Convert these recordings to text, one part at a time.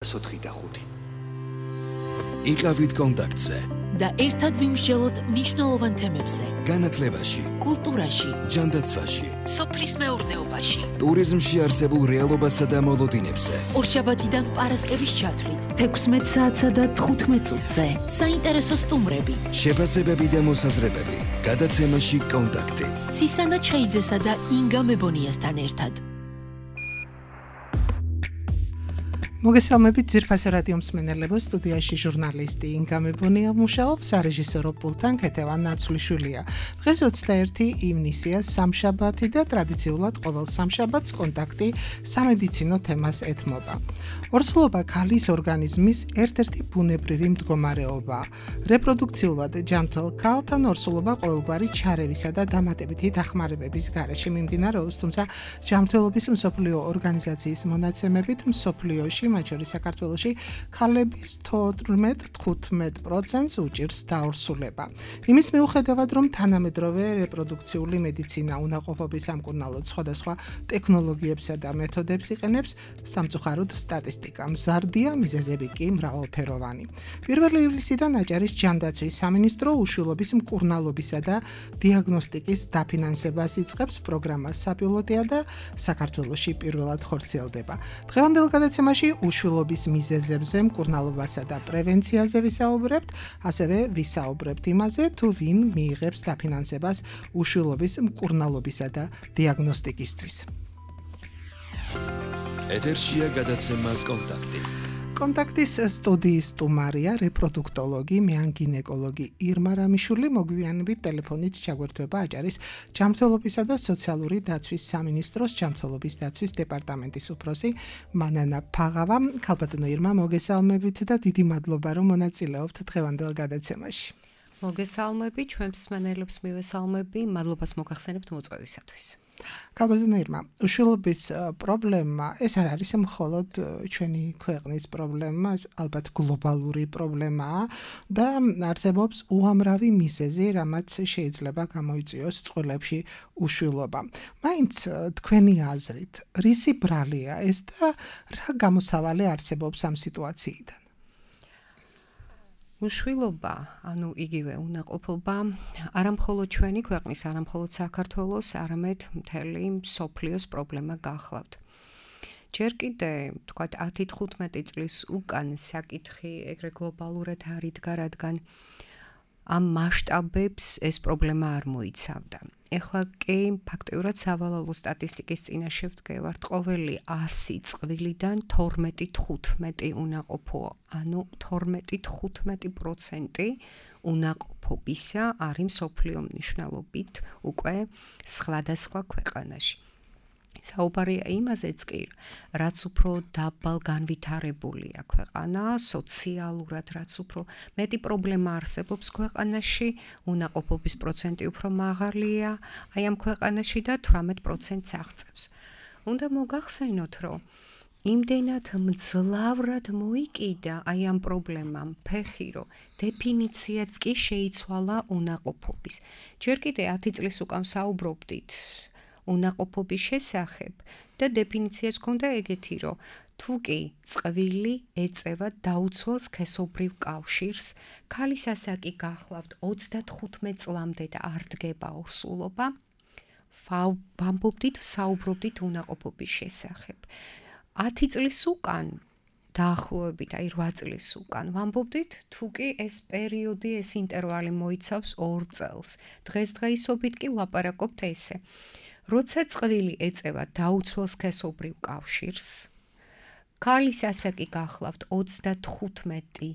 4-5. იყავით კონტაქტზე და ერთად ვიმსჯელოთ მნიშვნელოვან თემებზე. განათლებაში, კულტურაში, ჯანდაცვაში, სოფლის მეურნეობაში, ტურიზმში არსებულ რეალობასა და მოლოდინებზე. ორშაბათიდან პარასკევის ჩათვლით, 16 საათსა და 15 წუთზე. საინტერესო სტუმრები, შეფასებები და მოსაზრებები. გადაცემაში კონტაქტი. ცისანა ჩხეიძესა და ინგა მებონიასთან ერთად. მოგესალმებით ძვირფასო რადიო მსმენელებო, სტუდიაში ჟურნალისტი ინგა მებონია მუშაობს, სარეჟისორო პულტთან ქეთევან ნაცვლიშვილია. დღეს 21 ივნისია, სამშაბათი და ტრადიციულად ყოველ სამშაბათს კონტაქტი სამედიცინო თემას ეთმობა. ორსულობა ქალის ორგანიზმის ერთ-ერთი ბუნებრივი მდგომარეობაა. რეპროდუქციულად ჯანმრთელ ქალთან ორსულობა ყოველგვარი ჩარევისა და დამატებითი დახმარებების გარეშე მიმდინარეობს, თუმცა ჯანმრთელობის მსოფლიო ორგანიზაციის მონაცემებით მსოფლიოში მათ შორის საქართველოში ქალების 14-15% უჭირს დაორსულება. იმის მიუხედავად, რომ თანამედროვე რეპროდუქციული მედიცინა უნაყოფობის სამკურნალოდ სხვადასხვა ტექნოლოგიებსა და მეთოდებს იყენებს, სამწუხაროდ სტატისტიკა მზარდია, მიზეზები კი მრავალფეროვანი. 1 ივლისიდან აჭარის ჯანდაცვის სამინისტრო უშვილობის მკურნალობისა და დიაგნოსტიკის დაფინანსებას იწყებს. პროგრამა საპილოტია და საქართველოში პირველად ხორციელდება. დღევანდელ გადაცემაში უშვილობის მიზეზებზე, მკურნალობასა და პრევენციაზე ვისაუბრებთ, ასევე ვისაუბრებთ იმაზე, თუ ვინ მიიღებს დაფინანსებას უშვილობის მკურნალობისა და დიაგნოსტიკისთვის. ეთერშია გადაცემა კონტაქტი. კონტაქტის სტუდიის სტუმარია რეპროდუქტოლოგი, მეანგინეკოლოგი ირმა რამიშვილი. მოგვიანებით ტელეფონით ჩაგვერთვება აჭარის ჯანმრთელობისა და სოციალური დაცვის სამინისტროს ჯანმრთელობის დაცვის დეპარტამენტის უფროსი მანანა ფაღავა. ქალბატონო ირმა, მოგესალმებით და დიდი მადლობა, რომ მონაწილეობთ დღევანდელ გადაცემაში. მოგესალმები, ჩვენს მსმენელებს მივესალმები, მადლობას მოგახსენებთ მოწვევისათვის. ქალბატონო ირმა, უშვილობის პრობლემა ეს არ არის მხოლოდ ჩვენი ქვეყნის პრობლემა, ალბათ გლობალური პრობლემაა და არსებობს უამრავი მიზეზი, რამაც შეიძლება გამოიწვიოს წყვილებში უშვილობა. მაინც თქვენი აზრით, რისი ბრალია ეს და რა გამოსავალი არსებობს ამ სიტუაციიდან? უშვილობა, ანუ იგივე უნაყოფობა, არა მხოლოდ ჩვენი ქვეყნის, არა მხოლოდ საქართველოს, არამედ მთელი მსოფლიოს პრობლემა გახლავთ. ჯერ კიდე, თქვათ 10-15 წლის უკან საკითხი ეგრე გლობალურად არ იდგა, რადგან ამ მასშტაბებს ეს პრობლემა არ მოიცავდა. ეხლა კი ფაქტიურად სავალალო სტატისტიკის წინაშე ვდგევართ, ყოველი 100 წყვილიდან 12-15 უნაყოფოა, ანუ 12-15% უნაყოფობისა არის მსოფლიო მნიშვნელობით უკვე სხვადასხვა ქვეყანაში. საუბარია იმაზეც კი, რაც უფრო დაბალ განვითარებულია ქვეყანა, სოციალურად რაც უფრო მეტი პრობლემა არსებობს ქვეყანაში, უნაყოფობის პროცენტი უფრო მაღალია აი ამ ქვეყანაში და 18%-ს აღწევს. უნდა მოგახსენოთ, რომ იმდენად მძლავრად მოიკიდა აი ამ პრობლემამ ფეხი, რომ დეფინიციაც კი შეიცვალა უნაყოფობის. ჯერ კიდე 10 წლის უკან საუბრობდით უნაყოფობის შესახებ და დეფინიციაც ჰქონდა ეგეთი, რომ თუ კი წყვილი ეწევა დაუცველ სქესობრივ კავშირს, ქალის ასაკი გახლავთ 35 წლამდე და არ დგება ორსულობა, საუბრობდით უნაყოფობის შესახებ. 10 წლის უკან დაახლოებით, აი 8 წლის უკან ვამბობდით, თუ კი ეს პერიოდი, ეს ინტერვალი მოიცავს 2 წელს. დღესდღეობით კი ვლაპარაკობთ ესე. როცა წყვილი ეწევა დაუცველ სქესობრივ კავშირს, ქალის ასაკი გახლავთ 35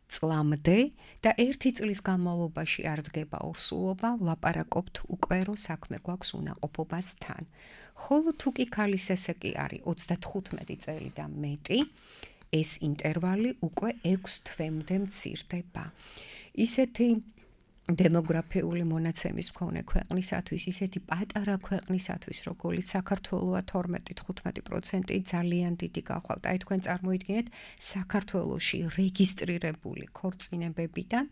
წლამდე და 1 წლის განმავლობაში არ დგება ორსულობა, ვლაპარაკობთ უკვე რომ საქმე გვაქვს უნაყოფობასთან. ხოლო თუ კი ქალის ასაკი არის 35 წელი და მეტი, ეს ინტერვალი უკვე 6 თვემდე მცირდება. ისეთი დემოგრაფიული მონაცემის მქონე ქვეყნისათვის, ისეთი პატარა ქვეყნისათვის, როგორც საქართველოა 12-15% ძალიან დიდი გახლავთ. აი თქვენ წარმოიდგინეთ, საქართველოში რეგისტრირებული ქორწინებებიდან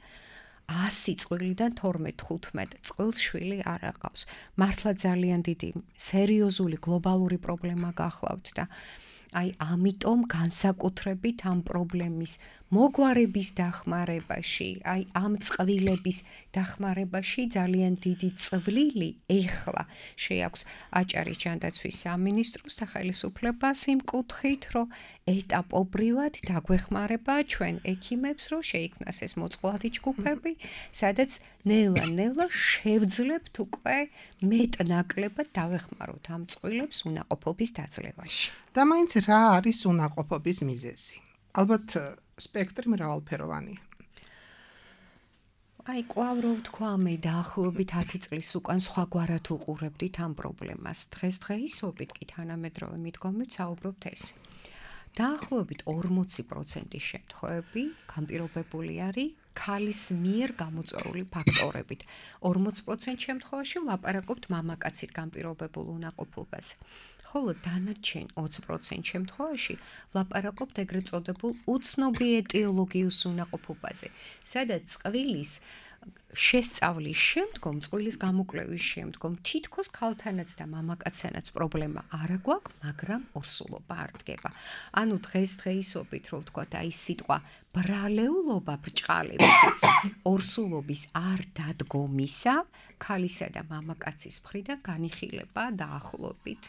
100 წვილიდან 12-15 წვილს შვილი არ აყავს. მართლა ძალიან დიდი სერიოზული გლობალური პრობლემა გახლავთ და აი ამიტომ განსაკუთრებით ამ პრობლემის მოგვარების დახმარებაში, აი ამ წყვილების დახმარებაში ძალიან დიდი წვლილი ეხლა შეაქვს აჭარის ჯანდაცვის სამინისტროს და ხელისუფლებას იმ კუთხით, რომ ეტაპობრივად დაგვეხმარება ჩვენ ექიმებს, რომ შეიქმნას ეს მოწყვლადი ჯგუფები, სადაც ნელა-ნელა შევძლებთ უკვე მეტნაკლებად დავეხმაროთ ამ წყვილებს უნაყოფობის დაძლევაში. და მაინც რა არის უნაყოფობის მიზეზი? ალბათ სპექტრი მრავალფეროვანია. აი კვლავ რო ვთქვა მე დაახლოებით 10 წლის უკან სხვაგვარად უყურებდით ამ პრობლემას. დღესდღეობით კი თანამედროვე მიდგომით საუბრობთ ეს. დაახლოებით 40% შემთხვევები განპირობებული არის ქალის მიერ გამოწვეული ფაქტორებით. 40% შემთხვევაში ვლაპარაკობთ მამაკაცით განპირობებულ უნაყოფობაზე. ხოლო დანარჩენ 20% შემთხვევაში ვლაპარაკობთ ეგრეთ წოდებულ უცნობი ეტიოლოგიურ უნაყოფობაზე, სადაც წყვილის შესწავლის შემდგომ, წყვილის გამოკვლევის შემდგომ თითქოს ქალთანაც და მამაკაცთანაც პრობლემა არ აქვს, მაგრამ ორსულობა არ დგება. ანუ დღესდღეობით, რო ვთქვათ, აი სიტყვა ბრალეულობა ბრჭყალებით ორსულობის არ დადგომისა, ქალისა და მამაკაცის მხრიდან განიხილება დაახლოებით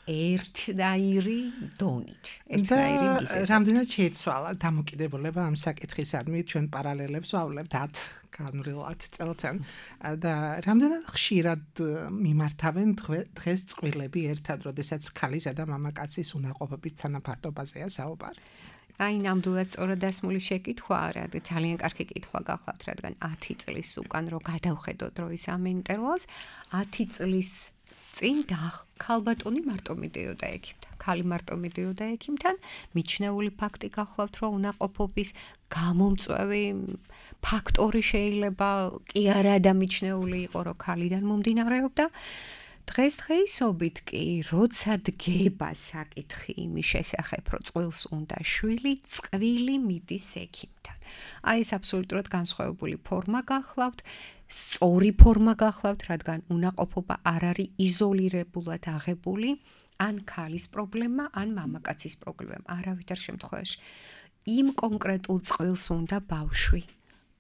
ერთნაირი დონით. ერთნაირი მიზეზით. რამდენად შეიცვალა დამოკიდებულება ამ საკითხისადმი ჩვენ პარალელებს ვავლებთ 10 განვლილად წელთან და რამდენად ხშირად მიმართავენ დღეს წყვილები ერთად, როდესაც ქალისა და მამაკაცის უნაყოფობის თანაფარდობაზეა საუბარი? აი ნამდვილად სწორად დასმული შეკითხვა არა, ძალიან კარგი კითხვა გახლავთ, რადგან 10 წლის უკან რო გადავხედოთ დროის ამ ინტერვალს, 10 წლის წინ ქალბატონი მარტო მიდიოდა ექიმთან, ქალი მარტო მიდიოდა ექიმთან, მიჩნეული ფაქტი გახლავთ, რომ უნაყოფობის გამომწვევი ფაქტორი შეიძლება კი არა და მიჩნეული იყო, რომ ქალიდან მომდინარეობდა. დღესდღეობით კი, როცა დგება საკითხი იმის შესახებ, რომ წყვილს უნდა შვილი, წყვილი მიდის ექიმთან. აი ეს აბსოლუტურად განსხვავებული ფორმა გახლავთ, სწორი ფორმა გახლავთ, რადგან უნაყოფობა არ არის იზოლირებულად აღებული, ან ქალის პრობლემა, ან მამაკაცის პრობლემა, არავითარ შემთხვევაში. იმ კონკრეტულ წყვილს უნდა ბავშვი.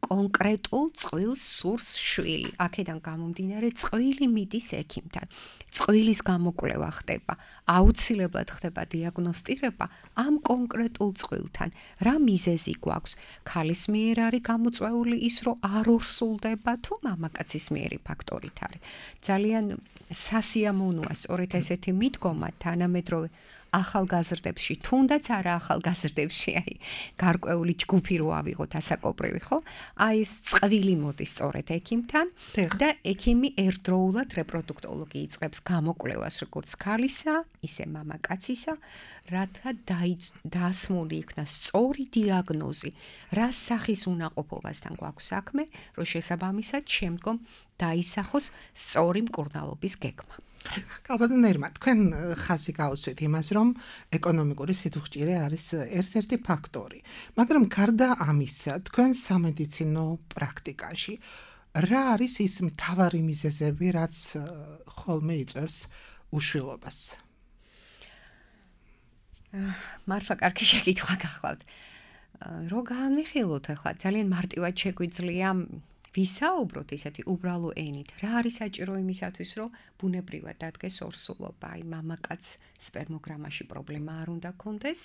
კონკრეტულ წყვილს სურს შვილი. აქედან გამომდინარე წყვილი მიდის ექიმთან. წყვილის გამოკვლევა ხდება, აუცილებლად ხდება დიაგნოსტირება ამ კონკრეტულ წყვილთან. რა მიზეზი გვაქვს? ქალის მიერ არის გამოწვეული ის, რომ არ ორსულდება თუ მამაკაცის მიერი ფაქტორით არის. ძალიან სასიამოვნოა სწორედ ესეთი მიდგომა თანამედროვე ახალგაზრდებში, თუნდაც არა ახალგაზრდებში, აი გარკვეული ჯგუფი რო ავიღოთ ასაკობრივი, ხო? აი ეს წყვილი მოდის სწორედ ექიმთან და ექიმი ერთდროულად რეპროდუქტოლოგი იწყებს გამოკვლევას როგორც ქალისა, ისე მამაკაცისა, რათა დაასმული იქნას სწორი დიაგნოზი, რა სახის უნაყოფობასთან გვაქვს საქმე, რომ შესაბამისად შემდგომ დაისახოს სწორი მკურნალობის გეგმა. კალბატონ ერმა, თქვენ ხაზი გაუსვით იმას, რომ ეკონომიკური სიდუხჭირე არის ერთ-ერთი ფაქტორი. მაგრამ გარდა ამისა, თქვენ სამედიცინო პრაქტიკაში რა არის ის მთავარი მიზეზები, რაც ხოლმე იწვევს უშვილობას? მართლა კარგი შეკითხვა გახლავთ. რო განვიხილოთ ახლა, ძალიან მარტივად შეგვიძლია ვისაუბროთ ისეთი უბრალო ენით. რა არის საჭირო იმისათვის, რომ ბუნებრივად დადგეს ორსულობა? აი მამაკაც სპერმოგრამაში პრობლემა არ უნდა კონდეს.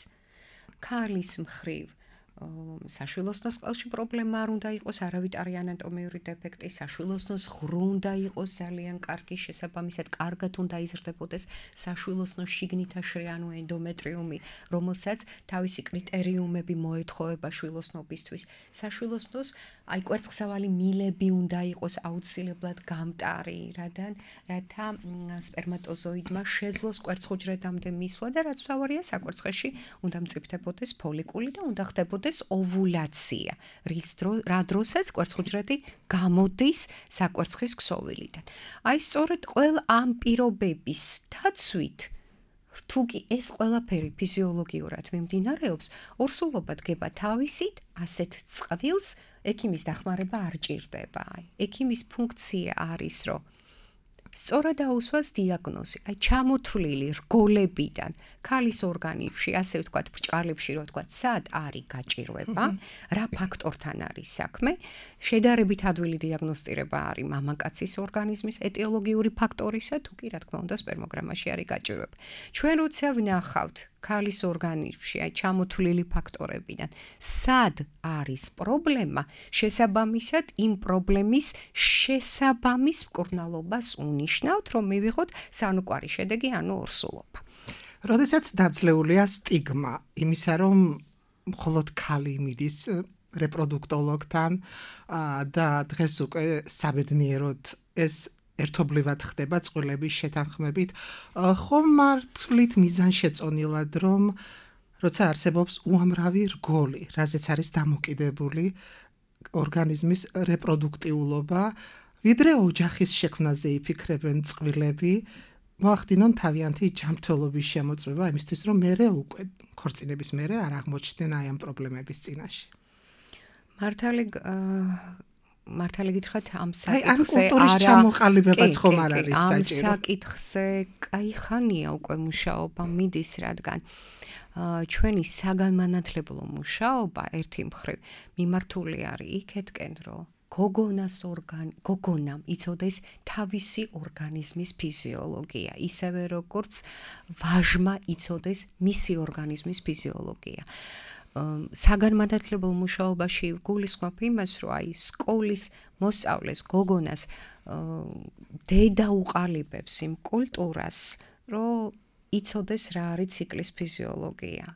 ქალის მხრივ საშვილოსნოს ყელში პრობლემა არ უნდა იყოს, არავითარი ანატომიური დეფექტი, საშვილოსნოს ღრუ უნდა იყოს ძალიან კარგი, შესაბამისად კარგად უნდა იზრდებოდეს საშვილოსნოს შიგნითაშრი, ანუ ენდომეტრიუმი, რომელსაც თავისი კრიტერიუმები მოეთხოვება შვილოსნობისთვის. საშვილოსნოს აი კვერცხსავალი მილები უნდა იყოს აუცილებლად გამტარი, რათა სპერმატოზოიდმა შეძლოს კვერცხუჯრედამდე მისვლა და რაც მთავარია, საკვერცხეში უნდა მწიფდებოდეს ფოლიკული და უნდა ხდებოდეს ოვულაცია, რა დროსაც კვერცხუჯრედი გამოდის საკვერცხის ქსოვილიდან. აი სწორედ ყველა ამ პირობების დაცვით, თუ კი ეს ყველაფერი ფიზიოლოგიურად მიმდინარეობს, ორსულობა დგება თავისით, ასეთ წყვილს ექიმის დახმარება არ ჭირდება. ექიმის ფუნქცია არის, რომ სწორად აუსვას დიაგნოზი, აი ჩამოთვლილი რგოლებიდან, ქალის ორგანიზმში, ასე ვთქვათ, ბრჭყალებში, რო ვთქვათ, სად არის გაჭირვება, რა ფაქტორთან არის საქმე, შედარებით ადვილი დიაგნოსტირება არის მამაკაცის ორგანიზმის ეტიოლოგიური ფაქტორისა, თუ კი რა თქმა უნდა სპერმოგრამაში არის გაჭირვება. ჩვენ როცა ვნახავთ ქალის ორგანიზმში, აი ჩამოთვლილი ფაქტორებიდან, სად არის პრობლემა, შესაბამისად იმ პრობლემის შესაბამის მკურნალობას უნიშნავთ, რომ მივიღოთ სანუკვარი შედეგი, ანუ ორსულობა. როდესაც დაძლეულია სტიგმა იმისა, რომ მხოლოდ ქალი მიდის რეპროდუქტოლოგთან და დღეს უკვე საბედნიეროდ ეს ერთობლივად ხდება წყვილების შეთანხმებით, ხომ მართლით მიზანშეწონილად, რომ როცა არსებობს უამრავი რგოლი, რაზეც არის დამოკიდებული ორგანიზმის რეპროდუქტიულობა, ვიდრე ოჯახის შექმნაზე იფიქრებენ წყვილები, მოახდინონ თავიანთი ჯანმრთელობის შემოწმება იმისთვის, რომ მერე უკვე ქორწინების მერე არ აღმოჩნდნენ აი ამ პრობლემების წინაშე. მართალი გითხრათ ამ საკითხზე ან კულტურის ჩამოყალიბებაც ხომ არ არის საჭირო. ამ საკითხზე კაი ხანია უკვე მუშაობა მიდის, რადგან ჩვენი საგანმანათლებლო მუშაობა ერთი მხრივ მიმართული არის იქეთკენ, რომ გოგონამ იცოდეს თავისი ორგანიზმის ფიზიოლოგია, ისევე როგორც ვაჟმა იცოდეს მისი ორგანიზმის ფიზიოლოგია. საგანმანათლებლო მუშაობაში გულისხმობ იმას, რომ აი სკოლის მოსწავლეს გოგონას დედა უყალიბებს იმ კულტურას, რომ იცოდეს რა არის ციკლის ფიზიოლოგია.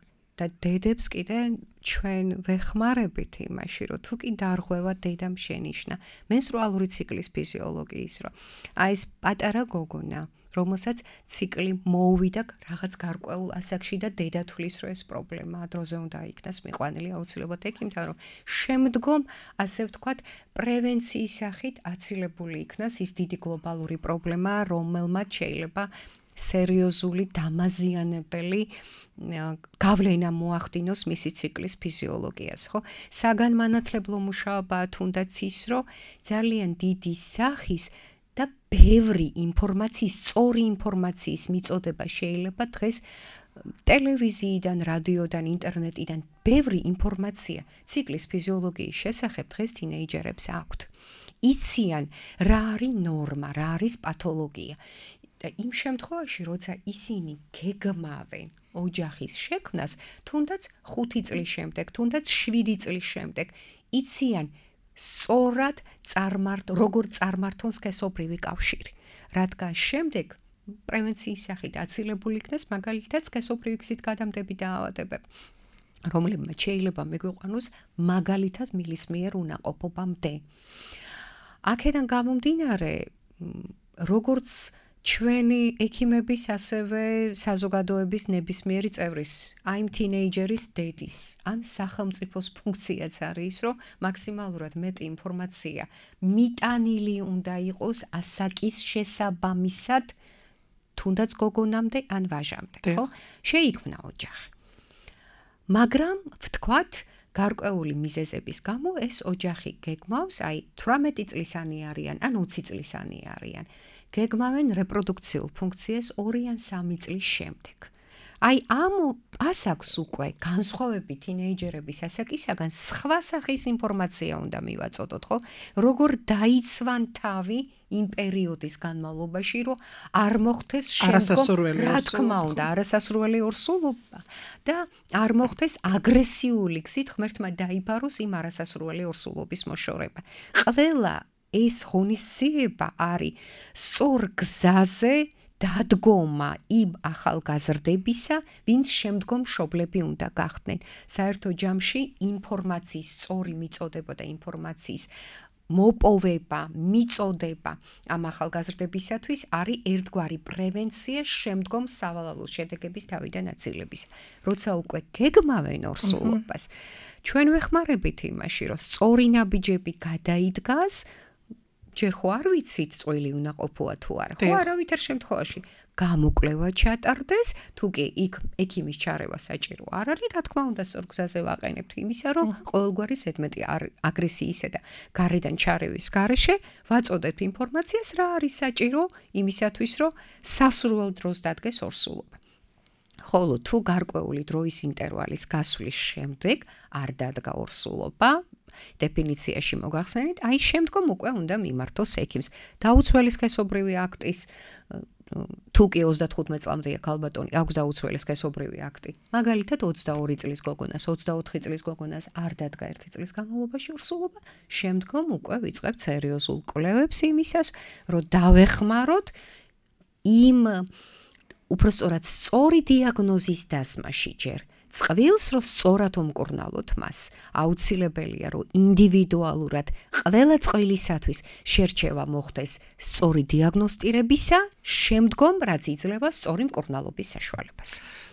და დედებს კიდე ჩვენ ვეხმარებით იმაში, რომ თუ კი დარღვევა დედამ შენიშნა მენსტრუალური ციკლის ფიზიოლოგიის, რომ აი ეს პატარა გოგონა, რომელსაც ციკლი მოუვიდა რაღაც გარკვეულ ასაკში და დედა თვლის, რომ ეს პრობლემაა, დროზე უნდა იქნას მიყვანილი აუცილებლად ექიმთან, რომ შემდგომ, ასე ვთქვათ, პრევენციის სახით აცილებული იქნას ის დიდი გლობალური პრობლემა, რომელმაც შეიძლება სერიოზული დამაზიანებელი გავლენა მოახდინოს მისი ციკლის ფიზიოლოგიას, ხო? საგანმანათლებლო მუშაობაა თუნდაც ის, რომ ძალიან დიდი სახის და ბევრი ინფორმაციის, სწორი ინფორმაციის მიწოდება შეიძლება დღეს ტელევიზიიდან, რადიოდან, ინტერნეტიდან ბევრი ინფორმაცია ციკლის ფიზიოლოგიის შესახებ დღეს თინეიჯერებს აქვთ. იციან რა არის ნორმა, რა არის პათოლოგია. და იმ შემთხვევაში, როცა ისინი გეგმავენ ოჯახის შექმნას, თუნდაც 5 წლის შემდეგ, თუნდაც 7 წლის შემდეგ, იციან სწორად როგორ წარმართონ სქესობრივი კავშირი. რადგან შემდეგ პრევენციის სახით აცილებული იქნას მაგალითად სქესობრივი გზით გადამდები დაავადებები, რომლებმაც შეიძლება მიგვიყვანოს მაგალითად მილის მიერ უნაყოფობამდე. აქედან გამომდინარე, როგორც ჩვენი ექიმების, ასევე საზოგადოების ნებისმიერი წევრის, აი იმ თინეიჯერის დედის, ან სახელმწიფოს ფუნქციაც არის, რომ მაქსიმალურად მეტი ინფორმაცია მიტანილი უნდა იყოს ასაკის შესაბამისად, თუნდაც გოგონამდე ან ვაჟამდე, ხო? შეიქმნა ოჯახი. მაგრამ ვთქვათ, გარკვეული მიზეზების გამო ეს ოჯახი გეგმავს, აი 18 წლისანი არიან, ან 20 წლისანი არიან. გეგმავენ რეპროდუქციულ ფუნქციას 2 ან 3 წლის შემდეგ. აი ამ ასაკს უკვე განსხვავებით თინეიჯერების ასაკისაგან სხვა სახის ინფორმაცია უნდა მივაწოდოთ, ხო? როგორ დაიცვან თავი იმ პერიოდის განმავლობაში, რომ არ მოხდეს შემდგომ, რა თქმა უნდა, არასასრული ორსულობა და არ მოხდეს აგრესიული გზით ღმერთმა დაიბაროს იმ არასასრული ორსულობის მოშორება. ყველა ეს ღონისძიება არის სწორ გზაზე დადგომა იმ ახალგაზრდებისა, ვინც შემდგომ მშობლები უნდა გახდნენ. საერთო ჯამში ინფორმაციის სწორი მიწოდება და ინფორმაციის მოპოვება, მიწოდება ამ ახალგაზრდებისათვის არის ერთგვარი პრევენცია შემდგომ სავალალო შედეგების თავიდან აცილების. როცა უკვე გეგმავენ ორსულობას, ჩვენ ვეხმარებით იმაში, რომ სწორი ნაბიჯები გადაიდგას, ჯერ ხო არ ვიცით წვილი უნდა ყოფოა თუ არა. ხო, არავითარ შემთხვევაში გამოკვლევა ჩატარდეს, თუ კი იქ ექიმის ჩარევა საჭირო არ არის, რა თქმა უნდა, სწორ გზაზე ვაყენებთ იმისა, რომ ყოველგვარი ზედმეტი აგრესიისა და გარედან ჩარევის გარეშე ვაწოდეთ ინფორმაციას, რა არის საჭირო იმისათვის, რომ სასურველ დროს დადგეს ორსულობა. ხოლო თუ გარკვეული დროის ინტერვალის გასვლის შემდეგ არ დადგა ორსულობა, დეფინიციაში მოგახსენეთ, აი შემდგომ უკვე უნდა მიმართოს ექიმს. დაუცველი სქესობრივი აქტის თუ კი 35 წლამდეა ქალბატონი, აქვს დაუცველი სქესობრივი აქტი. მაგალითად 22 წლის გოგონას, 24 წლის გოგონას არ დადგა 1 წლის განმავლობაში ორსულობა, შემდგომ უკვე ვიწყებთ სერიოზულ კვლევებს იმისას, რომ დავეხმაროთ იმ უпростоრად სწორი დიაგნოზის დასმაში ჯერ წყვილს რომ სწორად უმკურნალოთ მას აუცილებელია რომ ინდივიდუალურად ყველა წყვილისათვის შერჩევა მოხდეს სწორი დიაგნოსტირებისა შემდგომ რაც იძლევა სწორი მკურნალობის საშუალებას.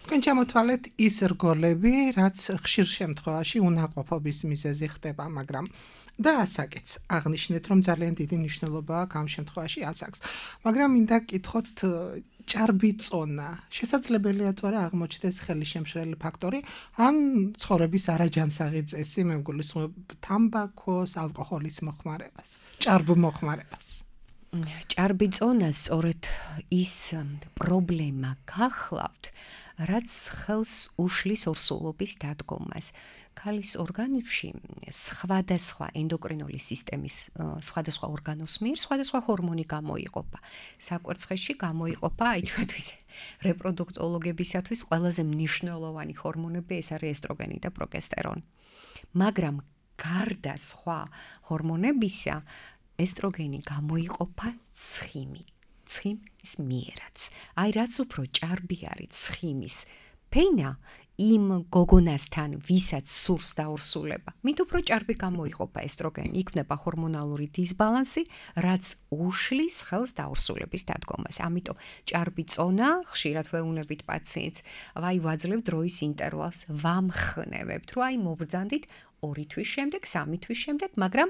თქვენ ჩამოთვალეთ ის რგოლები რაც ხშირ შემთხვევაში უნაყოფობის მიზეზი ხდება, მაგრამ და ასაკიც აღნიშნეთ რომ ძალიან დიდი მნიშვნელობა აქვს ამ შემთხვევაში ასაკს. მაგრამ მინდა გკითხოთ ჭარბი წონა შესაძლებელია თუ არა აღმოჩნდეს ხელისშემშლელი ფაქტორი ან ცხოვრების არაჯანსაღი წესი, მე მგულისხმობ თამბაქოს, ალკოჰოლის მოხმარებას, ჭარბ მოხმარებას. ჭარბი წონა სწორედ ის პრობლემა გახლავთ, რაც ხელს უშლის ორსულობის დადგომას. ქალის ორგანიზმში სხვადასხვა ენდოკრინული სისტემის სხვადასხვა ორგანოს მიერ სხვადასხვა ჰორმონი გამოიყოფა. საკვერცხეში გამოიყოფა აი ჩვენთვის რეპროდუქტოლოგებისათვის ყველაზე მნიშვნელოვანი ჰორმონები ეს არის ესტროგენი და პროგესტერონი. მაგრამ გარდა სხვა ჰორმონებისა ესტროგენი გამოიყოფა ცხიმის მიერაც. აი რაც უფრო ჭარბი არის ცხიმის ფენა იმ გოგონასთან, ვისაც სურს დაორსულება, მით უფრო ჭარბი გამოიყოფა ესტროგენი, იქნება ჰორმონალური დისბალანსი, რაც უშლის ხელს დაორსულების დადგომას. ამიტომ ჭარბი წონა, ხშირად ვეუბნებით პაციენტს, აი ვაძლევ დროის ინტერვალს, ვამხნევებთ, რომ აი მობრძანდით 2 თვის შემდეგ, 3 თვის შემდეგ, მაგრამ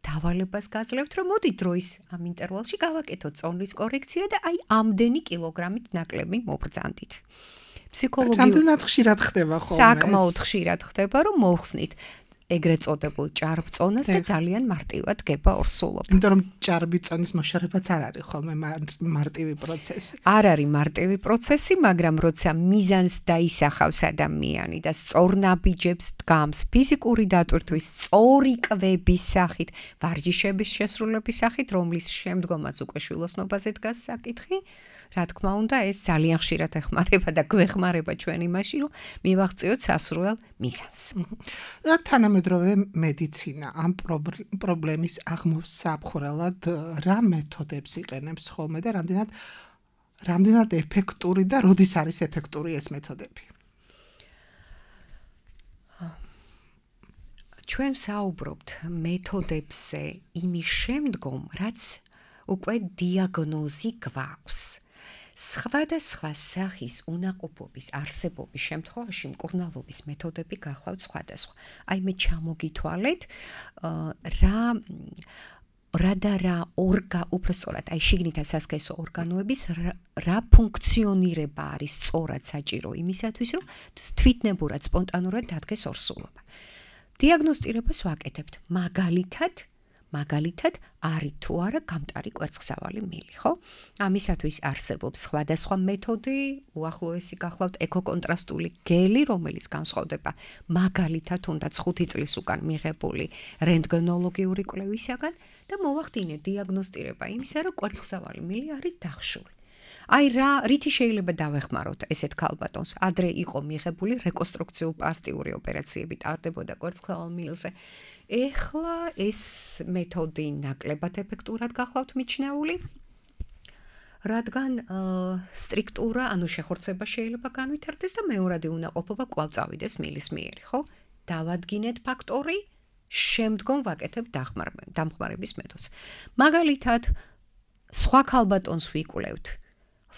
დავალებას გაძლევთ, რომ მოდი დროის ამ ინტერვალში გავაკეთოთ წონრის კორექცია და აი ამდენი კილოგრამით ნაკლები მობრძანდით. რამდენად ხშირად ხდება ხოლმე? საკმაოდ ხშირად ხდება, რომ მოვხსნით ეგრეთ წოდებულ ჭარბ წონას და ძალიან მარტივად გება ორსულობა. იმიტომ რომ ჭარბი წონის მოშორებაც არ არის ხოლმე მარტივი პროცესი. არ არის მარტივი პროცესი, მაგრამ როცა მიზანს დაისახავს ადამიანი და სწორ ნაბიჯებს დგამს ფიზიკური დატვირთვის, სწორი კვების სახით, ვარჯიშების შესრულების სახით, რომლის შემდგომაც უკვე შვილოსნობაზე დგას საკითხი, რა თქმა უნდა, ეს ძალიან ხშირად ეხმარება და გვეხმარება ჩვენ იმაში, რომ მივაღწიოთ სასურველ მიზანს. და თანამედროვე მედიცინა ამ პრობლემის აღმოსაფხვრელად რა მეთოდებს იყენებს ხოლმე და რამდენად ეფექტური და როდის არის ეფექტური ეს მეთოდები? ჩვენ საუბრობთ მეთოდებზე იმის შემდგომ, რაც უკვე დიაგნოზი გვაქვს. სხვადასხვა სახის უნაყოფობის არსებობის შემთხვევაში მკურნალობის მეთოდები გახლავთ სხვადასხვა. აი მე ჩამოგითვალეთ რა უпростоრად აი შიგნითა სასქესო ორგანოების რა ფუნქციონირება არის სწორად საჭირო იმისათვის, რომ თვითნებურად სპონტანურად დადგეს ორსულობა. დიაგნოსტირებას ვაკეთებთ მაგალითად არის თუ არა გამტარი კვერცხსავალი მილი, ხო? ამისათვის არსებობს სხვადასხვა მეთოდი, უახლოესი გახლავთ ეკოკონტრასტული გელი, რომელიც განსხვავდება მაგალითად თუნდაც 5 წლის უკან მიღებული რენტგენოლოგიური კვლევისაგან და მოვახდინეთ დიაგნოსტირება იმისა, რომ კვერცხსავალი მილი არის დახშული. აი რითი შეიძლება დავეხმაროთ ესეთ ქალბატონს? ადრე იყო მიღებული რეკონსტრუქციულ პლასტიკური ოპერაციები ტარდებოდა კვერცხსავალ მილზე. ეხლა ეს მეთოდი ნაკლებად ეფექტურად გახლავთ მიჩნეული, რადგან სტრიქტურა, ანუ შეხორცება შეიძლება განვითარდეს და მეორადი უნაყოფობა კვლავ წავიდეს მილის მიერი, ხო? დავადგინეთ ფაქტორი, შემდგომ ვაკეთებ დამხმარების მეთოდს. მაგალითად, სხვა ქალბატონს ვიკვლევთ.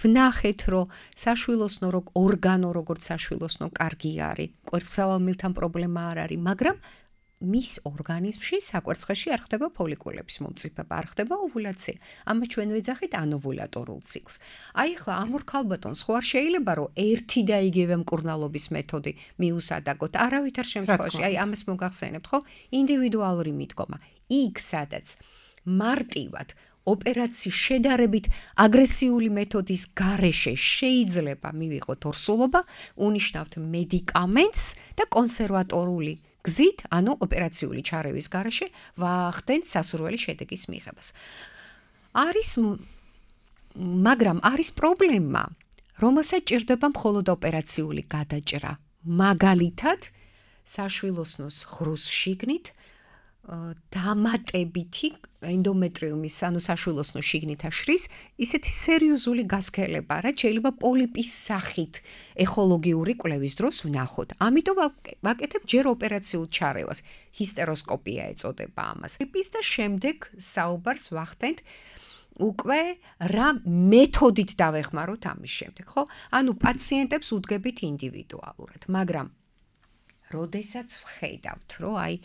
ვნახეთ, რომ საშვილოსნო ორგანო როგორც საშვილოსნო კარგი არის, კვერცხსავალ მილთან პრობლემა არ არის, მაგრამ მის ორგანიზმში საკვერცხეში არ ხდება ფოლიკულების მომწიფება, არ ხდება ოვულაცია. ამას ჩვენ ვეძახით ანოვულატორულ ციკლს. აი ახლა ამ ორ ქალბატონს ხო არ შეიძლება რომ ერთი და იგივე მკურნალობის მეთოდი მიუსადაგოთ. არავითარ შემთხვევაში, აი ამას მოგახსენებთ, ხო? ინდივიდუალური მიდგომა. იქ სადაც მარტივად ოპერაციის შედარებით აგრესიული მეთოდის გარეშე შეიძლება მივიღოთ ორსულობა, უნიშნავთ მედიკამენტს და კონსერვატორული გზით, ანუ ოპერაციული ჩარევის გარეშე ვახდენთ სასურველი შედეგის მიღებას. მაგრამ არის პრობლემა, რომელსაც ჭირდება მხოლოდ ოპერაციული გადაჭრა. მაგალითად, საშვილოსნოს ღრუს შიგნით დამატებითი ენდომეტრიუმის, ანუ საშვილოსნოს შიგნით აშრის, ისეთი სერიოზული გასქელება, რაც შეიძლება პოლიპის სახით ეხოლოგიური კვლევის დროს ვნახოთ. ამიტომ ვაკეთებ ჯერ ოპერაციულ ჩარევას. ჰისტეროსკოპია ეწოდება ამას. პოლიპის და შემდეგ საუბარს ვახდენთ უკვე რა მეთოდით დავეხმაროთ ამის შემდეგ, ხო? ანუ პაციენტებს უდგებით ინდივიდუალურად, მაგრამ როდესაც ვხედავთ, რომ აი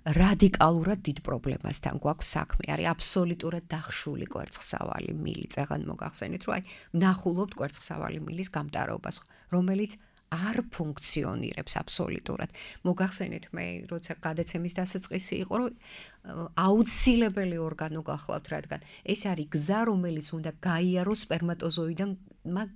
რადიკალურად დიდ პრობლემასთან გვაქვს საქმე, არის აბსოლუტურად დახშული კვერცხსავალი მილი. წეგან მოგახსენით, რომ აი ვნახულობთ კვერცხსავალი მილის გამტარობას, რომელიც არ ფუნქციონირებს აბსოლუტურად. მოგახსენით, მე როცა გადაცემის დასაწყისი იყო, რომ აუცილებელი ორგანო გახლავთ, რადგან ეს არის გზა, რომელიც უნდა გაიაროს სპერმატოზოიდიდან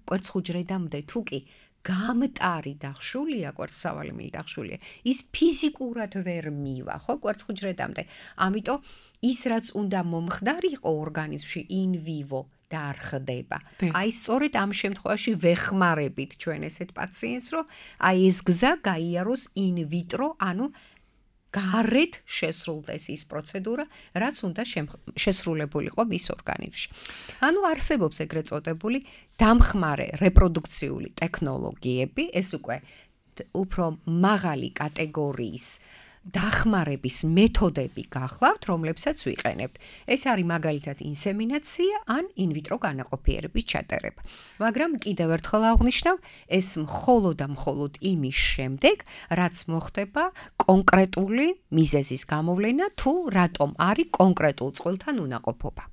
კვერცხუჯრედამდე, თუ კი გამტარი დახშულია, კვერცხსავალი მილი დახშულია, ის ფიზიკურად ვერ მივა, ხო, კვერცხუჯრედამდე. ამიტომ ის რაც უნდა მომხდარიყო ორგანიზმში in vivo და არ ხდება. აი სწორედ ამ შემთხვევაში ვეხმარებით ჩვენ ესეთ პაციენტს, რომ აი ეს გზა გაიაროს in vitro, ანუ გარეთ შესრულდეს ის პროცედურა, რაც უნდა შესრულებულიყო მის ორგანიზმში. ანუ არსებობს ეგრეთ წოდებული დამხმარე რეპროდუქციული ტექნოლოგიები, ეს უკვე უფრო მაღალი კატეგორიის დახმარების მეთოდები გახლავთ, რომლებსაც ვიყენებთ. ეს არის მაგალითად ინსემინაცია ან ინვიტრო განაყოფიერების ჩატარება. მაგრამ კიდევ ერთხელ აღვნიშნავ, ეს მხოლოდ და მხოლოდ იმის შემდეგ, რაც მოხდება კონკრეტული მიზეზის გამოვლენა, თუ რატომ არის კონკრეტულ წყვილთან უნაყოფობა.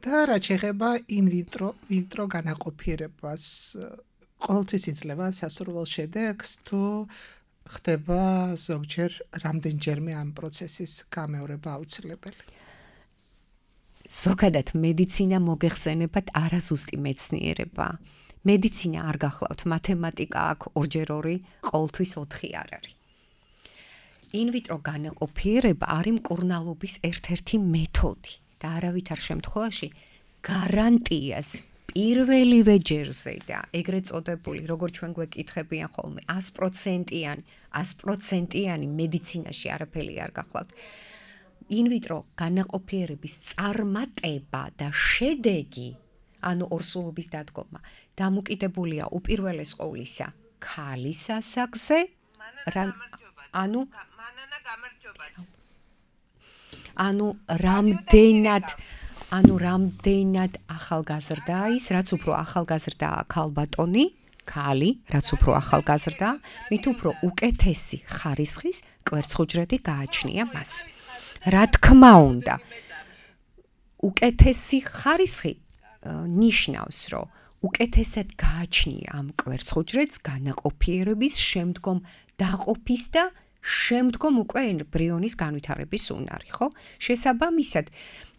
და რაც შეეხება ინვიტრო განაყოფიერებას, ყოველთვის იძლევა სასურველ შედეგს, თუ ხდება ზოგჯერ რამდენჯერმე ამ პროცესის გამეორება აუცილებელი. ზოგადად მედიცინა მოგეხსენებათ არაზუსტი მეცნიერება. მედიცინა არ გახლავთ, მათემატიკა აქვს 2x2, ყოველთვის 4 არ არის. ინვიტრო განაყოფიერება არის მკურნალობის ერთ-ერთი მეთოდი და არავითარ შემთხვევაში გარანტიას პირველივე ჯერზე და ეგრეთ წოდებული, როგორც ჩვენ გვეკითხებიან ხოლმე, 100%-იანი მედიცინაში არაფერი არ გახლავთ. ინვიტრო განაყოფიერების წარმატება და შედეგი, ანუ ორსულობის დადგომა, დამოკიდებულია უპირველეს ყოვლისა ქალის ასაკზე, რამდენად ახალგაზრდა ის, რაც უფრო ახალგაზრდაა ქალბატონი, ქალი, რაც უფრო ახალგაზრდა, მით უფრო უკეთესი ხარისხის კვერცხუჯრედი გააჩნია მას. რა თქმა უნდა, უკეთესი ხარისხი ნიშნავს, რომ უკეთესად გააჩნია ამ კვერცხუჯრედს განაყოფიერების შემდგომ დაყოფის და შემდგომ უკვე ემბრიონის განვითარების უნარი, ხო? შესაბამისად,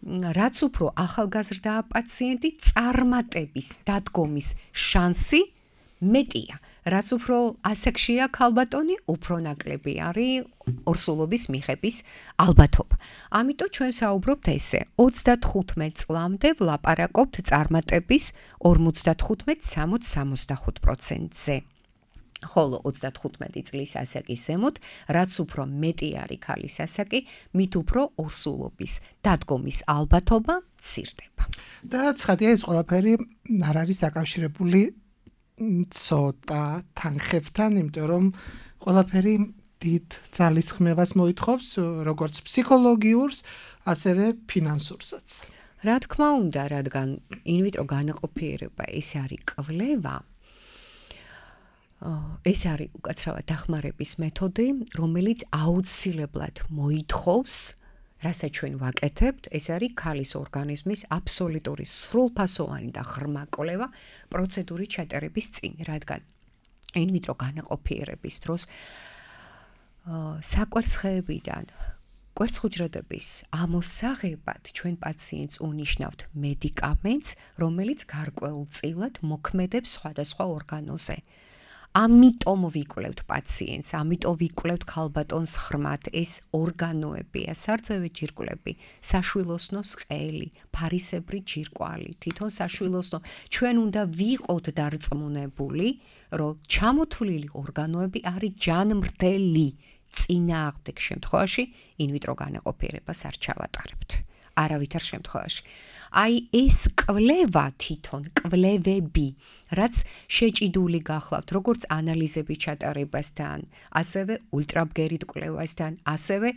რაც უფრო ახალგაზრდაა პაციენტი, წარმატების დადგომის შანსი მეტია. რაც უფრო ასაკშია ქალბატონი, უფრო ნაკლები არის ორსულობის მიღების ალბათობა. ამიტომ ჩვენ საუბრობთ ესე, 35 წლამდე ვლაპარაკობთ წარმატების 55-60-65%-ზე. ხოლო 35 წლის ასაკის ზემოთ, რაც უფრო მეტი არის ქალის ასაკი, მით უფრო ორსულობის დადგომის ალბათობა მცირდება. და ცხადია, ეს ყველაფერი არ არის დაკავშირებული ცოტა თანხებთან, იმიტომ რომ ყველაფერი დიდ ძალისხმევას მოითხოვს, როგორც ფსიქოლოგიურს, ასევე ფინანსურსაც. რა თქმა უნდა, რადგან ინვიტრო განაყოფიერება ეს არის კვლევა, ეს არის უკაცრავად დახმარების მეთოდი, რომელიც აუცილებლად მოითხოვს, რასაც ჩვენ ვაკეთებთ, ეს არის ქალის ორგანიზმის აბსოლუტური სრულფასოვანი და ღრმა კვლევა პროცედურის ჩატარების წინ, რადგან ინვიტრო განაყოფიერების დროს საკვერცხეებიდან კვერცხუჯრედების ამოსაღებად ჩვენ პაციენტს უნიშნავთ მედიკამენტს, რომელიც გარკვეულწილად მოქმედებს სხვადასხვა ორგანოზე. ამიტომ ვიკვლევთ პაციენტს, ამიტომ ვიკვლევთ ქალბატონს ღრმად ეს ორგანოებია, სარძევი ჯირკვლები, საშვილოსნოს ყელი, ფარისებრი ჯირკვალი, თვითონ საშვილოსნო. ჩვენ უნდა ვიყოთ დარწმუნებული, რომ ჩამოთვლილი ორგანოები არის ჯანმრთელი. წინააღმდეგ შემთხვევაში ინვიტრო განაყოფიერებას არ ჩავატარებთ. არავითარ შემთხვევაში. აი ეს კვლევა თვითონ კვლევები, რაც შეჭიდული გახლავთ, როგორც ანალიზები ჩატარებასთან, ასევე ულტრაბგერით კვლევასთან, ასევე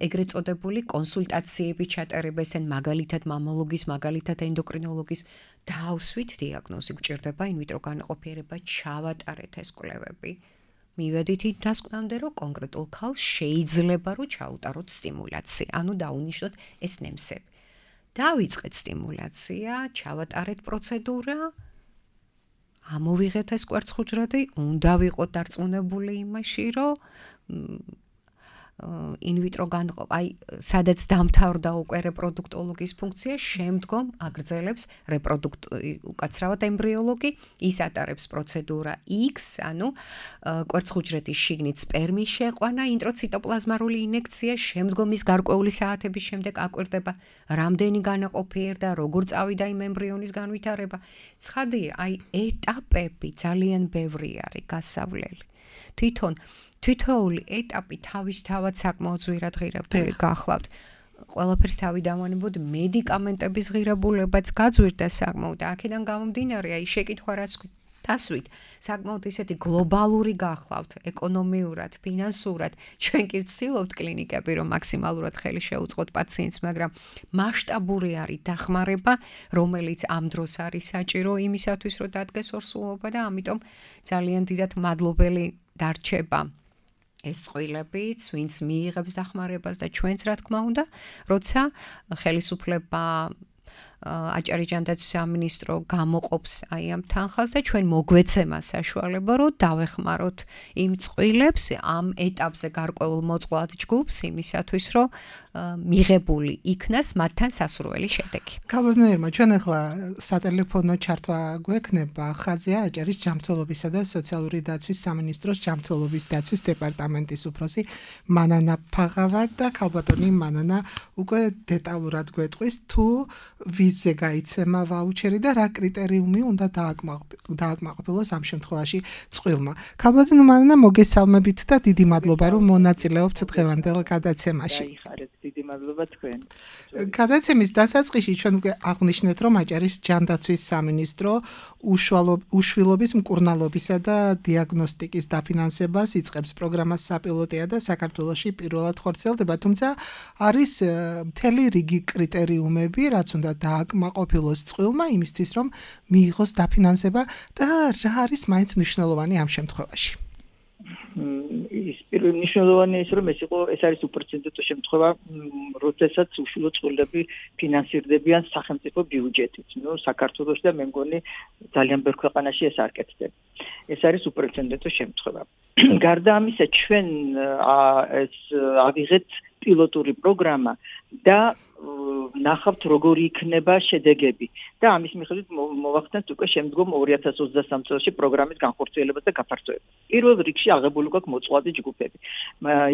ეგრეთ წოდებული კონსულტაციები ჩატარებასთან, მაგალითად მამოლოგის, მაგალითად ენდოკრინოლოგის, დავსვით დიაგნოზი გჭირდება ინვიტრო განაყოფიერება ჩავატარეთ ეს კვლევები. მივედით იმ დასკვნამდე, რომ კონკრეტულ ქალს შეიძლება რომ ჩაუტაროთ სტიმულაცია, ანუ დაუნიშნოთ ეს ნემსები. დავიწყეთ სტიმულაცია, ჩავატარეთ პროცედურა, ამოვიღეთ ეს კვერცხუჯრედი, უნდა ვიყოთ დარწმუნებული იმაში, რომ ინვიტრო განყოფა, აი, სადაც დამთავრდა უკვე რეპროდუქტოლოგის ფუნქცია, შემდგომ აგრძელებს უკაცრავად ემბრიოლოგი, ის ატარებს პროცედურა X, ანუ კვერცხუჯრედის შიგნით სპერმის შეყვანა, ინტროციტოპლაზმარული ინექცია, შემდგომ ის გარკვეული საათების შემდეგ აკვირდება, რამდენი განაყოფიერდა, როგორ წავიდა იმ ემბრიონის განვითარება. ცხადია, აი, ეტაპები ძალიან ბევრი არის გასავლელი. თვითოული ეტაპი თავისთავად საკმაოდ ზვირად ღირებული გახლავთ. ყველაფერს თავი დავანებოდ მედიკამენტების ღირებულებაც გაძვირდა საკმაოდ და აქედან გამომდინარე, აი შეკითხვა რაც დასვით, საკმაოდ ისეთი გლობალური გახლავთ, ეკონომიურად, ფინანსურად, ჩვენ კი ვცდილობთ კლინიკები, რომ მაქსიმალურად ხელი შეუწყოთ პაციენტს, მაგრამ მასშტაბური არის დახმარება, რომელიც ამ დროს არის საჭირო იმისათვის, რომ დადგეს ორსულობა და ამიტომ ძალიან დიდად მადლობელი დარჩება ეს წყვილებიც, ვინც მიიღებს დახმარებას და ჩვენც რა თქმა უნდა, როცა ხელისუფლება აჭარი ჯანდაცვის სამინისტრო გამოყოფს აი ამ თანხას და ჩვენ მოგვეცემა საშუალება, რომ დავეხმაროთ იმ წყვილებს ამ ეტაპზე გარკვეულ მოწყვლად ჯგუფს იმისათვის, რომ მიღებული იქნას მათთან სასურველი შედეგი. ქალბატონებმა, ჩვენ ახლა სატელეფონო ჩართვა გვექნება ხაზია აჭარის ჯანმრთელობისა და სოციალური დაცვის სამინისტროს ჯანმრთელობის დაცვის დეპარტამენტის უფროსი მანანა ფაღავა და ქალბატონი მანანა უკვე დეტალურად გვეტყვის თუ ვიზზე გაიცემა ვაუჩერი და რა კრიტერიუმი უნდა დააკმაყოფილოს ამ შემთხვევაში წყვილმა. ქალბატონი მანანა, მოგესალმებით და დიდი მადლობა, რომ მონაწილეობთ დღევანდელ გადაცემაში. დიდი მადლობა თქვენ. გადაცემის დასაწყისში ჩვენ უკვე აღვნიშნეთ, რომ აჭარის ჯანდაცვის სამინისტრო უშვილობის მკურნალობისა და დიაგნოსტიკის დაფინანსებას იწყებს. პროგრამას საპილოტია და საქართველოში პირველად ხორციელდება, თუმცა არის მთელი რიგი კრიტერიუმები, რაც უნდა დააკმაყოფილოს წყვილმა იმისთვის, რომ მიიღოს დაფინანსება და რა არის მაინც მნიშვნელოვანი ამ შემთხვევაში. ის მნიშვნელოვანი ის რომ ეს არის უპრეცედენტო შემთხვევა, როდესაც უშვილო წყვილები ფინანსირდებიან სახელმწიფო ბიუჯეტით. საქართველოში და მე მგონი ძალიან ბევრ ქვეყანაში ეს არ კეთდება. ეს არის უპრეცედენტო შემთხვევა. გარდა ამისა, ჩვენ ეს ავიღეთ პილოტური პროგრამა და ნახავთ როგორი იქნება შედეგები და ამის მიხედვით მოვახსენებთ უკვე შემდგომ 2023 წელს პროგრამის განხორციელებას და გაფართოებას. პირველ რიგში აღებული გვაქვს მოწყვლადი ჯგუფები.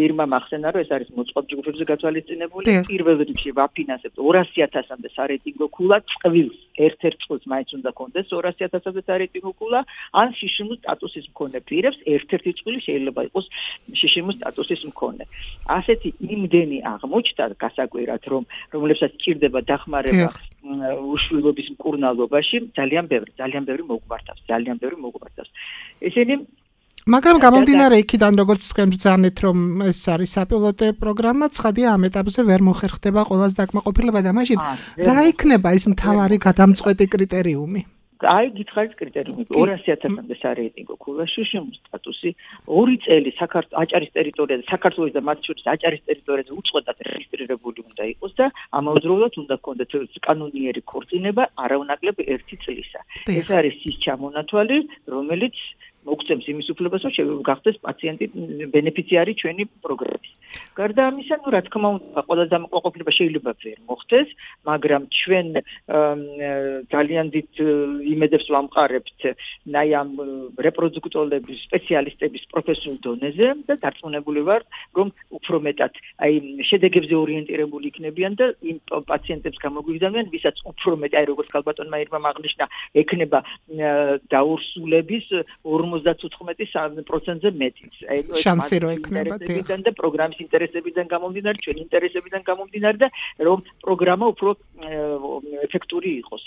ირმა მახსენა რომ ეს არის მოწყვლად ჯგუფებზე გათვალისწინებული. პირველ რიგში ვაფინანსებთ 200,000-მდე სარეიტინგო ქულა წყვილს. ერთ-ერთ წყვილს მაინც უნდა კონდეს 200,000-მდე სარეიტინგო ქულა, ან შიშიმის სტატუსის მქონე პირებს ერთ-ერთი წყვილი შეიძლება იყოს შიშიმის სტატუსის მქონე. ასეთი იმდენი აღმოჩნდა გასაკვირად, რომლებსაც ჭირდება დახმარება უშვილობის მკურნალობაში, ძალიან ბევრი მოგვართავს. ესენი მაგრამ გამომდინარე იქიდან, როგორც თქვენ ბრძანეთ, რომ ეს არის საპილოტო პროგრამა, ცხადია ამ ეტაპზე ვერ მოხერხდება ყველას დაკმაყოფილება და მაშინ რა იქნება ის მთავარი გადამწყვეტი კრიტერიუმი? აი გითხარით კრიტერიუმი 200,000-მდე სარეიტინგო ქულაში შიმის სტატუსი 2 წელი აჭარის ტერიტორიაზე საქართველოს და მათ შორის აჭარის ტერიტორიაზე უწყვეტად რეგისტრირებული უნდა იყოს და ამავდროულად უნდა ჰქონდეთ კანონიერი ქორწინება არაუნაკლებ 1 წლისა. ეს არის ის ჩამონათვალი, რომელიც მოგცემს იმის უფლებას, რომ გახდეს პაციენტი ბენეფიციარი ჩვენი პროგრამის. გარდა ამისა, რა თქმა უნდა, ყველა დამოკიდებულება შეიძლება ვერ მოხდეს, მაგრამ ჩვენ ძალიან დიდ იმედებს ვამყარებთ აი ამ რეპროდუქტოლების სპეციალისტების პროფესიულ დონეზე და დარწმუნებული ვარ, რომ უფრო მეტად აი შედეგებზე ორიენტირებული იქნებიან და იმ პაციენტებს გამოგვიგზავნიან, ვისაც უფრო მეტი, აი როგორც ქალბატონმა ირმამ აღნიშნა, ექნება დაურსულების 54%-ზე მეტიც. შანსი რო ექნება და პროგრამის ინტერესებიდან გამომდინარე, ჩვენი ინტერესებიდან გამომდინარე და რომ პროგრამა უფრო ეფექტური იყოს.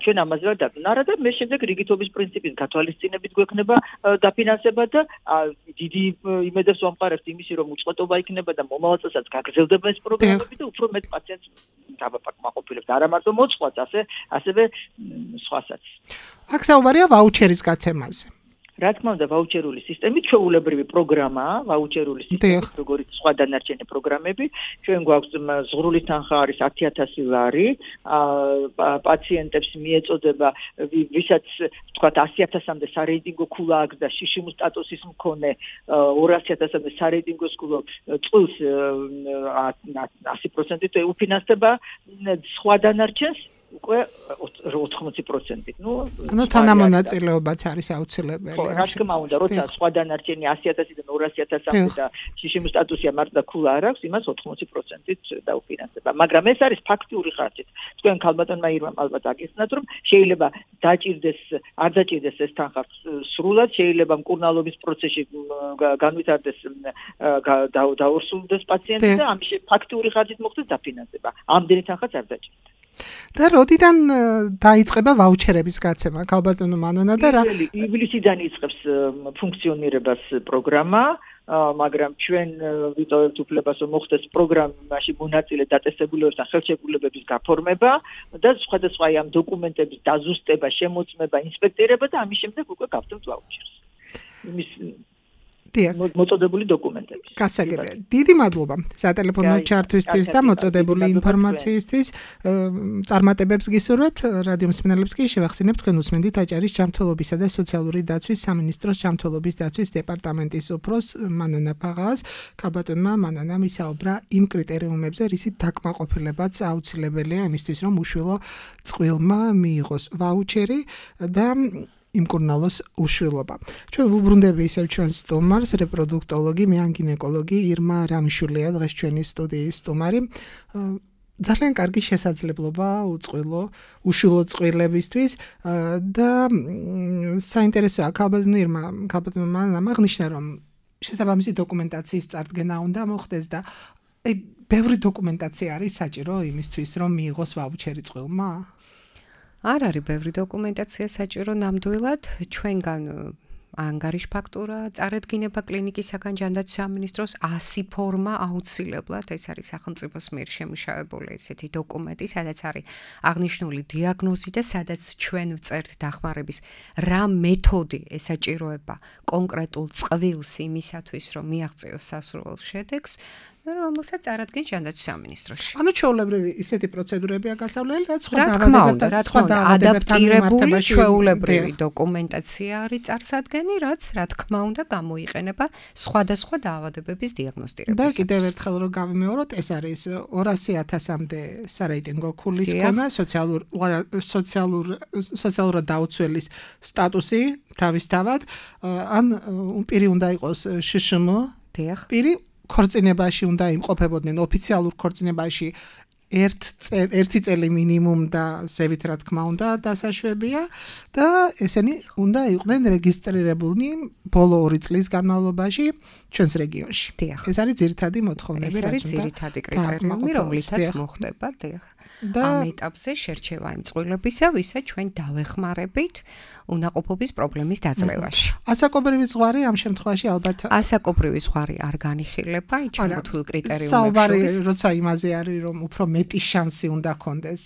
ჩვენ ამაზე ვარ დაბნარა და მე შემდეგ რიგითობის პრინციპის გათვალისწინებით გვექნება დაფინანსება და დიდი იმედებს ვამყარებთ იმისი, რომ უწყვეტობა იქნება და მომავალ წელსაც გაგრძელდება ეს პროგრამები და უფრო მეტ პაციენტს დავაპაკმაყოფილებთ. არა მარტო მოწყვეტს, ასევე სხვასაც. აქ საუბარია ვაუჩერის გაცემაზე. რა თქმა უნდა, ვაუჩერული სისტემით ჩვეულებრივი პროგრამაა, ვაუჩერული სისტემით, როგორც სხვა დანარჩენი პროგრამები. ჩვენ გვაქვს ზღვრული თანხა არის 10,000 ლარი, პაციენტებს მიეწოდება, ვისაც თქვათ 100,000-მდე სარეიტინგო ქულა აქვს და შიშიმის სტატუსის მქონე 200,000-მდე სარეიტინგო ქულა წელს 100%-ით უფინანსდება, სხვა დანარჩენს უკვე 80%. ანუ თანამონაწილეობაც არის აუცილებელი. ხო, რა თქმა უნდა, როცა სხვა დანარჩენი 100,000-დან 200,000-მდე და შიშიმის სტატუსია მარტო და ქულა არ აქვს, იმას 80%-ით დაუფინანსდება. მაგრამ ეს არის ფაქტიური ხარჯით. თქვენ ქალბატონმა ირმამ ალბათ აგიხსნათ, რომ შეიძლება არ დაჭირდეს ეს თანხა სრულად, შეიძლება მკურნალობის პროცესში განვითარდეს დაურსულდეს პაციენტი და ამის ფაქტიური ხარჯით მოხდეს დაფინანსება. ამდენი თანხაც არ დაჭირდება. და როდიდან დაიწყება ვაუჩერების გაცემა ქალბატონო მანანა და რა ივლისიდან იწყებს ფუნქციონირებას პროგრამა, მაგრამ ჩვენ ვიტოვებთ უფლებას რომ მოხდეს პროგრამაში მონაწილე დაწესებულებებთან ხელშეკრულებების გაფორმება და სხვადასხვა ამ დოკუმენტების დაზუსტება, შემოწმება, ინსპექტირება და ამის შემდეგ უკვე გავხდებთ ვაუჩერს. იმის მოწოდებული დოკუმენტები. გასაგებია. დიდი მადლობა სატელეფონო ჩართვისთვის და მოწოდებული ინფორმაციისთვის. წარმატებებს გისურვებთ. რადიო მსმენელებს კი შევახსენებთ თქვენ უსმენთ აჭარის ჯანმრთელობისა და სოციალური დაცვის სამინისტროს ჯანმრთელობის დაცვის დეპარტამენტის უფროს მანანა ფაღას. ქალბატონმა მანანამ ისაუბრა იმ კრიტერიუმებზე, რისით დაკმაყოფილებაც აუცილებელია იმისთვის, რომ უშვილო წყვილმა მიიღოს ვაუჩერი და იმკურნალოს უშვილობა. ჩვენ ვუბრუნდები ისევ ჩვენს სტუმარს, რეპროდუქტოლოგი, მეანგინეკოლოგი ირმა რამიშულია დღეს ჩვენი სტუდიის სტუმარი. ძალიან კარგი შესაძლებლობა უშვილო წყვილებისთვის და საინტერესოა ქალბატონმა აღნიშნა, რომ შესაბამისი დოკუმენტაციის წარდგენა უნდა მოხდეს და ბევრი დოკუმენტაცია არის საჭირო იმისთვის, რომ მიიღოს ვაუჩერი წყვილმა. არ არის ბევრი დოკუმენტაცია საჭირო ნამდვილად, ჩვენგან ანგარიშ ფაქტურა წარედგინება კლინიკისაგან ჯანდაცვის სამინისტროს 100 ფორმა აუცილებლად, ეს არის სახელმწიფოს მიერ შემუშავებული ესეთი დოკუმენტი, სადაც არის აღნიშნული დიაგნოზი და სადაც ჩვენ ვწერთ დახმარების რა მეთოდი ესაჭიროება კონკრეტულ წყვილს იმისათვის, რომ მიაღწიოს სასურველ შედეგს. რომელსაც წარადგენს ჯანდაცვის სამინისტროში. ანუ ჩვეულებრივი ისეთი პროცედურებია გასავლელი, რაც სხვა დაავადებებთან ადაპტირებული ჩვეულებრივი დოკუმენტაცია არის წარსადგენი, რაც რა თქმა უნდა გამოიყენება სხვადასხვა დაავადებების დიაგნოსტირებისას. და კიდევ ერთხელ რომ გავიმეოროთ, ეს არის 200,000-მდე სარეიტინგო ქულის ქონა, სოციალურად დაუცველის სტატუსი თავისთავად, ან პირი უნდა იყოს შშმ, პირი ქორწინებაში უნდა იმყოფებოდნენ ოფიციალურ ქორწინებაში 1 წელი მინიმუმ და ზევით რა თქმა უნდა დასაშვებია და ესენი უნდა იყვნენ რეგისტრირებულნი ბოლო 2 წლის განმავლობაში ჩვენს რეგიონში. ეს არის ძირითადი მოთხოვნები, რაც არის ძირითადი კრიტერიუმი, რომლითაც მოხდება ამ ეტაპზე შერჩევა იმ წყვილებისა, ვისაც ჩვენ დავეხმარებით უნაყოფობის პრობლემის დაძლევაში. ასაკობრივი ზღვარი ამ შემთხვევაში ალბათ ასაკობრივი ზღვარი არ განიხილება, ჩამოთვლილ კრიტერიუმებში. საუბარი როცა იმაზე არის, რომ უფრო მეტი შანსი უნდა ქონდეს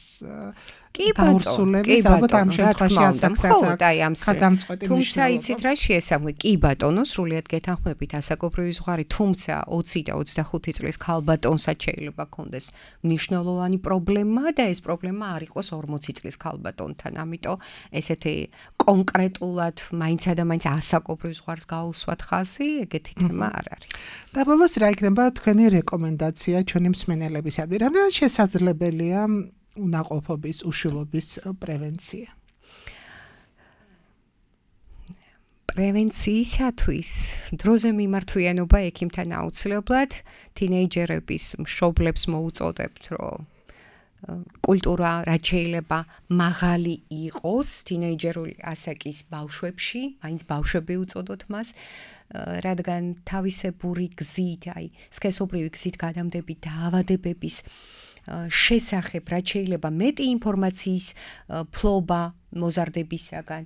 დაურსულების ალბათ ამ შემთხვევაში ასაკსაც გადამწყვეტი მნიშვნელობა. თუმცა იცით რა შეესაბამება? კი ბატონო, სრულიად გეთანხმებით ასაკობრივი ზღვარი, თუმცა 20 და 25 წლის ქალბატონსაც შეიძლება ქონდეს მნიშვნელოვანი პრობლემა და ეს პრობლემა არ იყოს 40 წლის ქალბატონთან. ამიტომ ესეთი კონკრეტულად მაინცა და მაინც ასაკობრივ ზღვარს გაუსვათ ხაზი, ეგეთი თემა არ არის. და ბოლოს რა იქნება თქვენი რეკომენდაცია ჩვენი მსმენელებისადმი? რამდენად შესაძლებელია უნაყოფობის, უშვილობის პრევენცია? პრევენციისათვის დროზე მიმართვიანობა ექიმთან აუცილებლად თინეიჯერების მშობლებს მოუწოდებთ, რომ კულტურა რაც შეიძლება მაღალი იყოს თინეიჯერული ასაკის ბავშვებში, მაინც ბავშვები უწოდოთ მას, რადგან თავისებური გზით, აი, სქესობრივი გზით გადამდები დაავადებების შესახებ რაც შეიძლება მეტი ინფორმაციის ფლობა მოზარდებისაგან,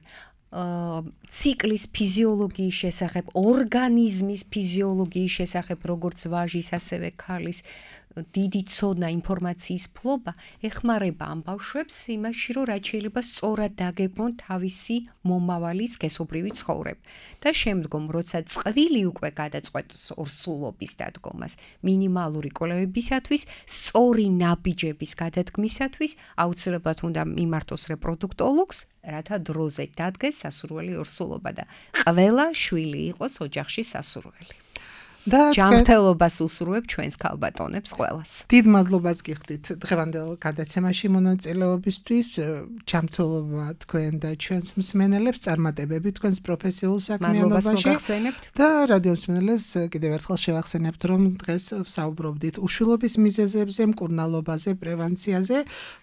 ციკლის ფიზიოლოგიის შესახებ, ორგანიზმის ფიზიოლოგიის შესახებ, როგორც ვაჟის, ასევე ქალის დიდი ცოდნა ინფორმაციის ფლობა ეხმარება ამ ბავშვებს იმაში, რომ რაც შეიძლება სწორად დაგეგმონ თავისი მომავალი სქესობრივი ცხოვრება. და შემდგომ, როცა წყვილი უკვე გადაწყვეტს ორსულობის დადგომას, მინიმალური კვლევებისათვის, სწორი ნაბიჯების გადადგმისათვის აუცილებლად უნდა მიმართოს რეპროდუქტოლოგს, რათა დროზე დადგეს სასურველი ორსულობა და ყველა შვილი იყოს ოჯახში სასურველი. და ჯანმრთელობას უსურვებ ჩვენს ქალბატონებს ყველას. დიდ მადლობას გიხდით დღევანდელ გადაცემაში მონაწილეობისთვის. ჯანმრთელობა თქვენ და ჩვენს მსმენელებს, წარმატებები თქვენს პროფესიულ საქმიანობაში. და რადიო მსმენელებს კიდევ ერთხელ შევახსენებთ, რომ დღეს ვსაუბრობდით უშვილობის მიზეზებზე, მკურნალობაზე, პრევენციაზე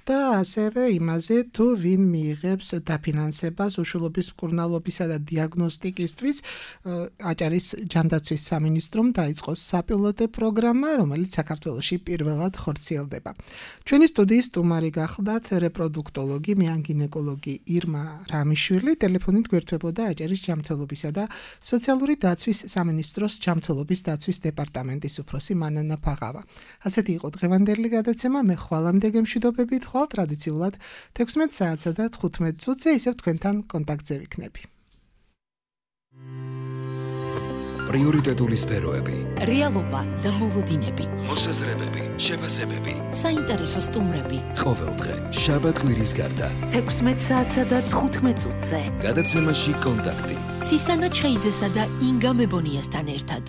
და ასევე იმაზე, თუ ვინ მიიღებს დაფინანსებას უშვილობის მკურნალობისა და დიაგნოსტიკისთვის. აჭარის ჯანდაცვის სამინისტრომ დაიწყოს საპილოტო პროგრამა, რომელიც საქართველოში პირველად ხორციელდება. ჩვენი სტუდიის სტუმარი გახლდათ რეპროდუქტოლოგი, მეანგინეკოლოგი ირმა რამიშვილი, ტელეფონით გვერდებოდა აჭარის ჯანმრთელობისა და სოციალური დაცვის სამინისტროს ჯანმრთელობის დაცვის დეპარტამენტის უფროსი მანანა ფაღავა. ასეთი იყო დღევანდელი გადაცემა, მე ხვალამდე გემშვიდობებით, ხვალ ტრადიციულად 16 საათსა და 15 წუთზე ისევ თქვენთან კონტაქტზე ვიქნები. პრიორიტეტული სფეროები, რეალობა და მოლოდინები, მოსაზრებები, შეფასებები, საინტერესო სტუმრები. ყოველდღე შაბათ-კვირის გარდა 16 საათსა და 15 წუთზე. გადაცემაში კონტაქტი. ცისანა ჩხეიძესა და ინგა მებონიასთან ერთად.